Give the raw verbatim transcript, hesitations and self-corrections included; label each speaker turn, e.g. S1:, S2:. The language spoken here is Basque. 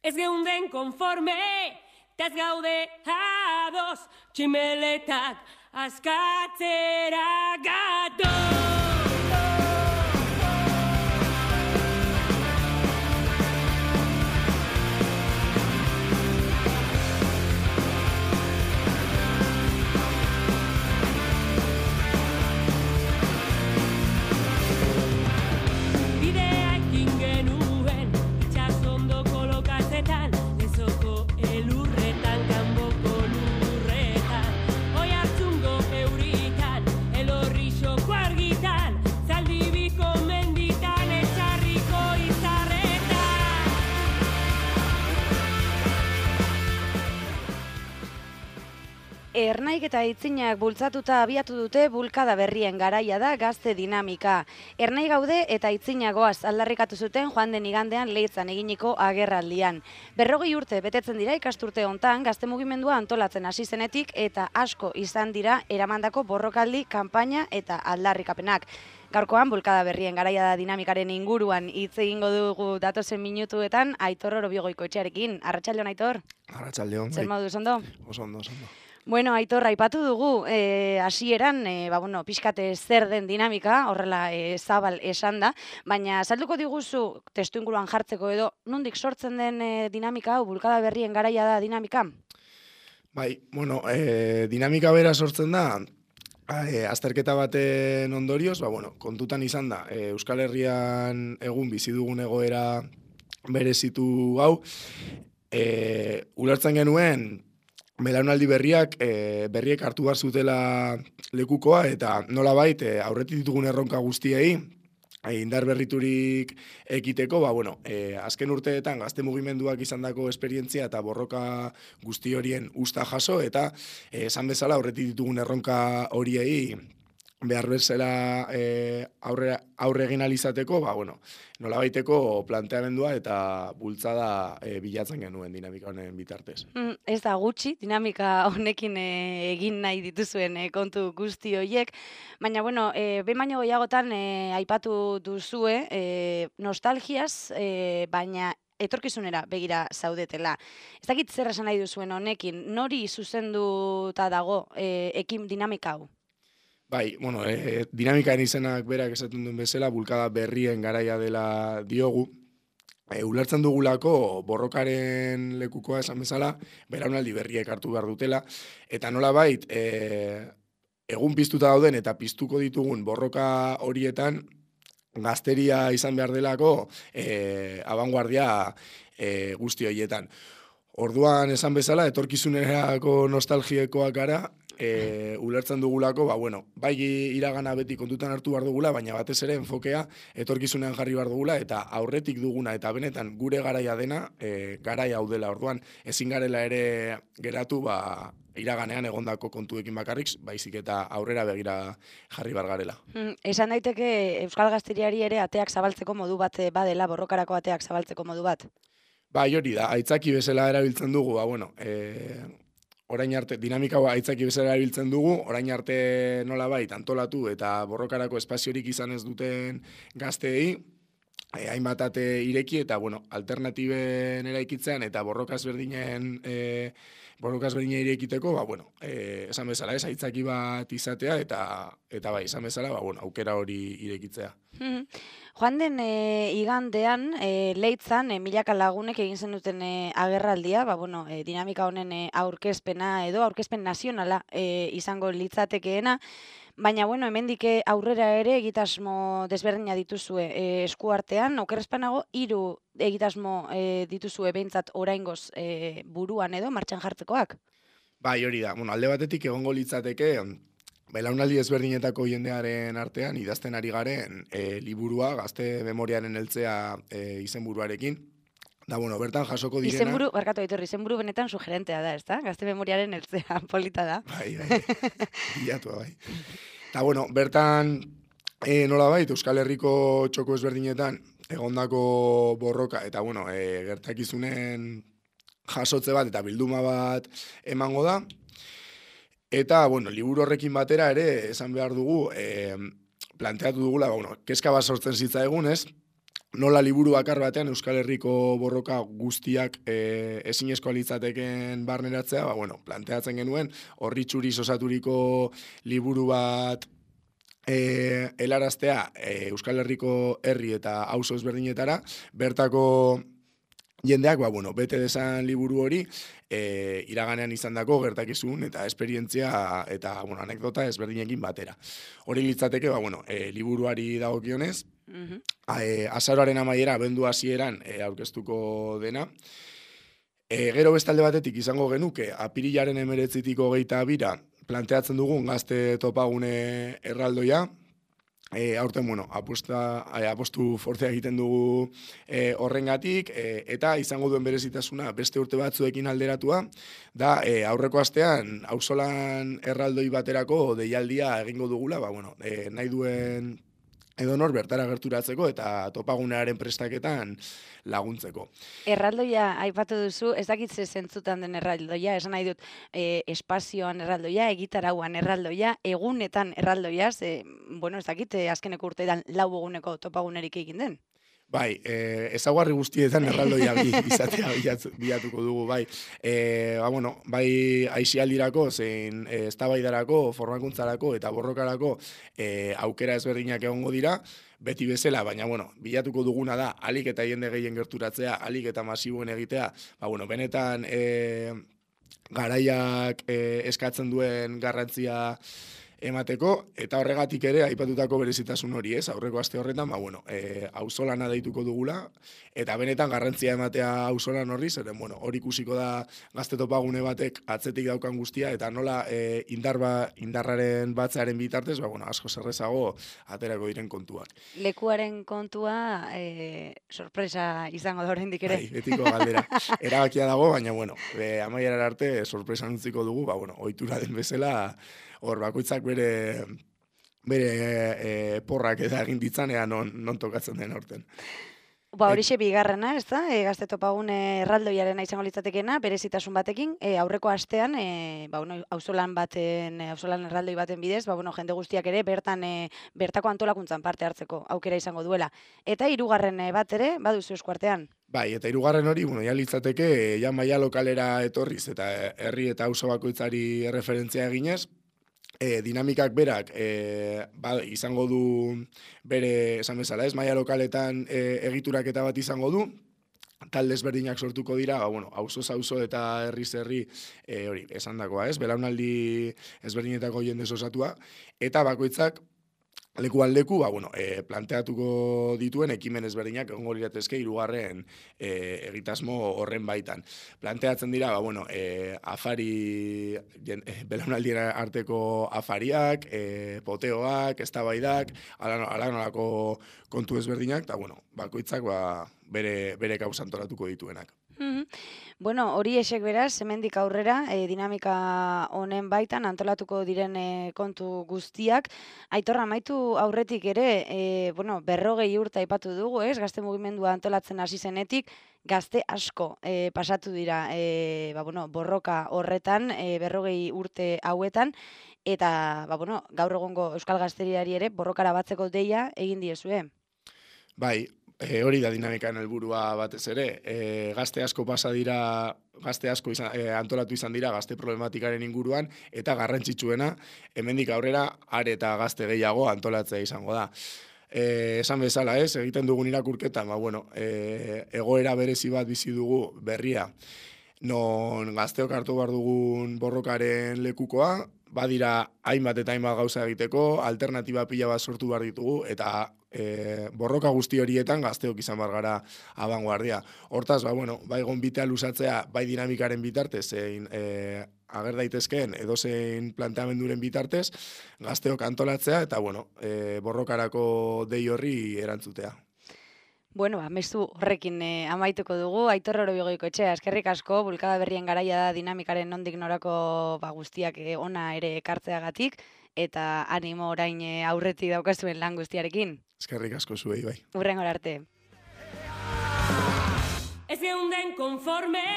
S1: Ez geunden konforme, eta ez gaude ados, tximeletak askatzera gatoz.
S2: Ernaik eta Aitzinak bultzatuta abiatu dute bulkada berrien garaia da gazte dinamika. Ernai gaude eta Aitzinak goaz aldarrikatu zuten joan den igandean Leitzan eginiko agerraldian. Berrogei urte betetzen dira ikasturte hontan gazte mugimendua antolatzen hasi zenetik eta asko izan dira eramandako borrokaldi, kanpaina eta aldarrikapenak. Gaurkoan bulkada berrien garaia da dinamikaren inguruan hitz egingo dugu datozen minutuetan Aitor Orobigoikoetxearekin. Arratsaldeon, Aitor.
S3: Arratsaldeon.
S2: Zer moduz ondo?
S3: Oso ondo, oso ondo.
S2: Bueno, Aitor, aipatu dugu, hasieran, e, ba, bueno, pixkate zer den dinamika, horrela e, zabal esan da, baina salduko diguzu testu inguruan jartzeko edo, nondik sortzen den e, dinamika hau, bulkada berrien garaia da dinamika?
S3: Bai, bueno, e, dinamika bera sortzen da, e, azterketa baten ondorioz, ba, bueno, kontutan izan da, e, Euskal Herrian egun bizi dugun egoera berezitu hau, e, ulertzen genuen, belaunaldi berriak e, berriek hartu behar zutela lekukoa eta nolabait e, aurretik ditugun erronka guztiei e, indar berriturik ekiteko, ba, bueno, e, azken urteetan gazte mugimenduak izandako esperientzia eta borroka guzti horien usta jaso eta e, esan bezala aurretik ditugun erronka horiei behar bezala e, aurre, aurre egin alizateko, ba, bueno, nolabaiteko planteamendua eta bultzada e, bilatzen genuen dinamika honen bitartez.
S2: Mm, ez da gutxi, dinamika honekin e, egin nahi dituzuen e, kontu guzti horiek, baina, bueno, e, behin baino gehiagotan e, aipatu duzue, e, nostalgiaz, e, baina etorkizunera begira zaudetela. Ez dakit zer esan nahi duzuen honekin, nori zuzenduta dago e, ekin dinamika hau?
S3: Bai, bueno, e, dinamikaren izenak berak esaten duen bezala, bulkada berrien garaia dela diogu. E, ulertzen dugulako borrokaren lekukoa esan bezala, belaunaldi berriek hartu behar dutela, eta nolabait, e, egun piztuta dauden eta piztuko ditugun borroka horietan, gazteria izan behar delako e, abanguardia e, guzti horietan. Orduan esan bezala, etorkizunerako nostalgiekoak gara, E, ulertzen dugulako, ba, bueno, bai iragana beti kontutan hartu behar dugula, baina batez ere enfokea etorkizunean jarri behar dugula, eta aurretik duguna, eta benetan gure garaia dena, e, garaia hau dela. Orduan, ezin garela ere geratu, ba, iraganean egondako kontuekin bakarrik, baizik eta aurrera begira jarri behar garela.
S2: Mm, esan daiteke Euskal Gazteriari ere ateak zabaltzeko modu bat badela, borrokarako ateak zabaltzeko modu bat?
S3: Bai, hori da, aitzaki bezala erabiltzen dugu, ba, bueno, e, orain arte, dinamika aitzaki bezala erabiltzen dugu, orain arte nolabait antolatu eta borrokarako espaziorik izan ez duten gazteei, eh, hainbat ate ireki eta, bueno, alternatiben eraikitzean eta borrokaz berdinen, eh, borrokaz berdinen irekiteko, ba, bueno, eh, esan bezala, ez, aitzaki bat izatea eta, eta bai, esan bezala, ba, bueno, aukera hori irekitzea.
S2: Joan den e, igandean, e, Leitzan, e, milaka lagunek egin zen duten e, agerraldia, ba, bueno, e, dinamika honen e, aurkezpena edo aurkezpen nazionala e, izango litzatekeena, baina, bueno, hemendik aurrera ere egitasmo desberdina dituzue e, eskuartean, okerrezpanago, hiru egitasmo e, dituzue behintzat oraingoz e, buruan edo martxan jartzekoak?
S3: Bai, hori da, bueno, alde batetik egongo litzateke, belaunaldi ezberdinetako jendearen artean idazten ari garen e, liburua, gazte memoriaren heltzea e, izenburuarekin. Da, bueno, bertan jasoko direna...
S2: Izenburu, barkatu aitorri, izenburu benetan sugerentea da, ez da? Gazte memoriaren heltzea, polita da.
S3: Bai, bai, bilatua, bai. Da, bueno, bertan e, nolabait, Euskal Herriko txoko ezberdinetan egondako borroka, eta, bueno, e, gertakizunen jasotze bat eta bilduma bat emango da. Eta, bueno, liburu horrekin batera ere, esan behar dugu, e, planteatu dugula, ba, bueno, kezka bat sortzen zitza egun, ez? nola liburu bakar batean Euskal Herriko borroka guztiak e, ezinezkoa litzateken barneratzea, ba, bueno, planteatzen genuen, horri txuriz osaturiko liburu bat e, helaraztea e, Euskal Herriko herri eta auzo ezberdinetara, bertako jendeak, ba, bueno, bete desan liburu hori, e, iraganean izandako gertakizun eta esperientzia eta, bueno, anekdota ezberdinekin batera. Hori litzateke, ba, bueno, e, liburuari dagokionez, Uh-huh. E, azaroaren amaiera abendu hasieran e, aurkeztuko dena. E, gero bestalde batetik izango genuke, apirilaren emeretzitik hogeita bira planteatzen dugun gazte topagune erraldoia. E, aurten, bueno, apusta, e, apostu fortea egiten dugu e, horrengatik, e, eta izango duen berezitasuna beste urte batzuekin alderatua, da e, aurreko astean auzolan erraldoi baterako deialdia egingo dugula, ba, bueno, e, nahi duen edo nor bertara gerturatzeko eta topagunearen prestaketan laguntzeko.
S2: Erraldoia aipatu duzu, ez dakit ze zentzutan den erraldoia, esan nahi dut e, espazioan erraldoia, egitarauan erraldoia, egunetan erraldoia, ze, bueno, ez dakit azkeneko urteetan lau eguneko topagunerik egin den.
S3: Bai, e, ezaguarri guztietan erraldoia bi, izatea bilatuko dugu, bai. E, ba, bueno, bai aisialdirako, zein e, eztabaidarako, formakuntzarako eta borrokarako e, aukera ezberdinak egongo dira, beti bezala, baina, bueno, bilatuko duguna da, alik eta jende gehien gerturatzea, alik eta masiboen egitea, ba, bueno, benetan e, garaiak e, eskatzen duen garrantzia emateko, eta horregatik ere aipatutako berezitasun hori, ez? Aurreko aste horretan, ba, bueno, e, auzolana deituko dugula, eta benetan garrantzia ematea auzolan horri, zeren, bueno, hori ikusiko da gazte topagune batek atzetik daukan guztia, eta nola e, indarba, indarraren batzearen bitartez, ba, bueno, asko zerrezago aterako diren kontuak.
S2: Lekuaren kontua e, sorpresa izango da oraindik ere.
S3: Bai, betiko galdera. Erabakia dago, baina, bueno, e, amaierar arte sorpresa utziko dugu, ba, bueno, ohitura den bezala, hor, bakoitzak bere bere e, porrak eta egin ditzanean non, non tokatzen den horten.
S2: Ba, horixe bigarrena, ez da, e, gazte topagune erraldoiarena izango litzatekena, berezitasun batekin, e, aurreko astean, e, ba, bueno, auzolan baten, auzolan erraldoi baten bidez, ba, bueno, jende guztiak ere bertan, e, bertako antolakuntzan parte hartzeko aukera izango duela. Eta hirugarren bat ere, baduzu eskuartean.
S3: Bai, eta hirugarren hori, bueno, ja litzateke, ja maila lokalera etorriz, eta herri eta auzo bakoitzari referentzia eginez, E, dinamikak berak e, ba, izango du bere, esan bezala, ez, maila lokaletan e, egituraketa bat izango du, talde ezberdinak sortuko dira, ba, bueno, auzoz auzo eta herriz herri e, hori, esandakoa, ez, belaunaldi ezberdinetako jendez osatua, eta bakoitzak lekuan leku, ba, bueno, e, planteatuko dituen ekimen ezberdinak egongo liratezke hirugarren e, egitasmo horren baitan. Planteatzen dira, ba, bueno, e, afari, jen, e, belaunaldien arteko afariak, e, poteoak, eztabaidak, ala nolako kontu ezberdinak, eta, bueno, bakoitzak ba, bere, bere kausa antolatuko dituenak.
S2: Bueno, hori esek beraz, hemendik aurrera, e, dinamika honen baitan antolatuko diren e, kontu guztiak. Aitorra, amaitu aurretik ere, e, bueno, berrogei urte aipatu dugu, ez? Gazte mugimendua antolatzen hasi zenetik, gazte asko e, pasatu dira e, ba, bueno, borroka horretan, e, berrogei urte hauetan, eta ba, bueno, gaur egongo Euskal Gazteriari ere borrokara batzeko deia egin diezue.
S3: Bai, E, hori da dinamikan helburua batez ere, e, gazte asko pasa dira, gazte asko izan, e, antolatu izan dira gazte problematikaren inguruan, eta garrantzitsuena, hemendik aurrera, are eta gazte gehiago antolatzea izango da. E, esan bezala ez, egiten dugun irakurketa, ba, bueno, e, egoera berezi bat bizi dugu berria, non gazteok hartu behar dugun borrokaren lekukoa, badira hainbat eta hainbat gauza egiteko, alternatiba pila bat sortu behar ditugu, eta e, borroka guzti horietan gazteok izan behar gara abanguardia. Hortaz, ba, bueno, bai gonbitea luzatzea, bai dinamikaren bitartez, zein e, ager daitezkeen edozein planteamenduren bitartez, gazteok antolatzea, eta bueno, e, borrokarako dei horri erantzutea.
S2: Bueno, ba, mezu horrekin eh, amaituko dugu, Aitor Orobigoiko etxea, eskerrik asko, bulkada berrien garaia da dinamikaren nondik norako ba, guztiak eh, ona ere ekartzeagatik, eta animo orain eh, aurretik daukazuen lan guztiarekin.
S3: Eskerrik asko zuei, bai.
S2: Hurrengora arte.
S1: Ez geunden konforme